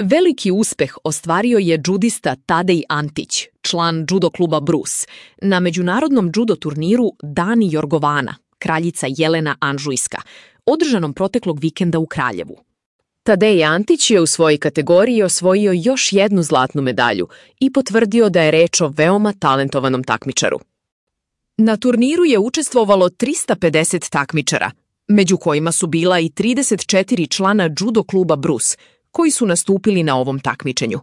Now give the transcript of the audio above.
Veliki uspeh ostvario je džudista Tadej Antić, član judo kluba Brus, na međunarodnom judo turniru Dani Jorgovana, kraljica Jelena Anžujska, održanom proteklog vikenda u Kraljevu. Tadej Antić je u svojoj kategoriji osvojio još jednu zlatnu medalju i potvrdio da je reč o veoma talentovanom takmičaru. Na turniru je učestvovalo 350 takmičara, među kojima su bila i 34 člana judo kluba Brus, koji su nastupili na ovom takmičenju.